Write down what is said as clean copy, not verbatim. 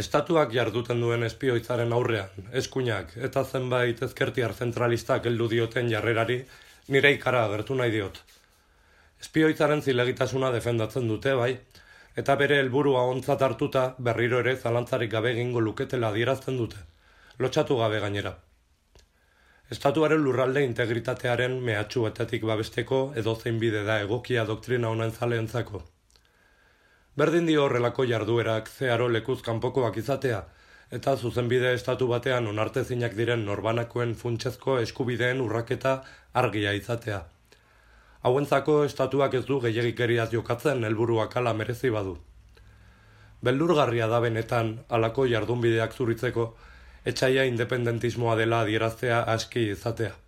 Estatuak jarduten duen espioitzaren aurrean, eskuinak eta zenbait ezkertiar zentralistak heldu dioten jarrerari nire ikara agertu nahi diot. Espioitzaren zilegitasuna defendatzen dute bai, eta bere helburua ontzat hartuta berriro ere zalantzarik gabe egingo luketela adierazten dute, lotxatu gabe gainera. Estatuaren lurralde integritatearen mehatxuetatik babesteko edozein bide da egokia doktrina honen zaleentzako. Berdin dio horrelako jarduerak zeharo lekuz kanpokoak izatea, eta zuzenbide estatu batean onartezinak diren norbanakoen funtsezko eskubideen urraketa argia izatea. Hauentzako estatuak ez du gehiegikeriaz jokatzen helburuak hala merezi badu. Beldurgarria da benetan halako jardunbideak zuritzeko, etsaia independentismoa dela adieraztea aski izatea.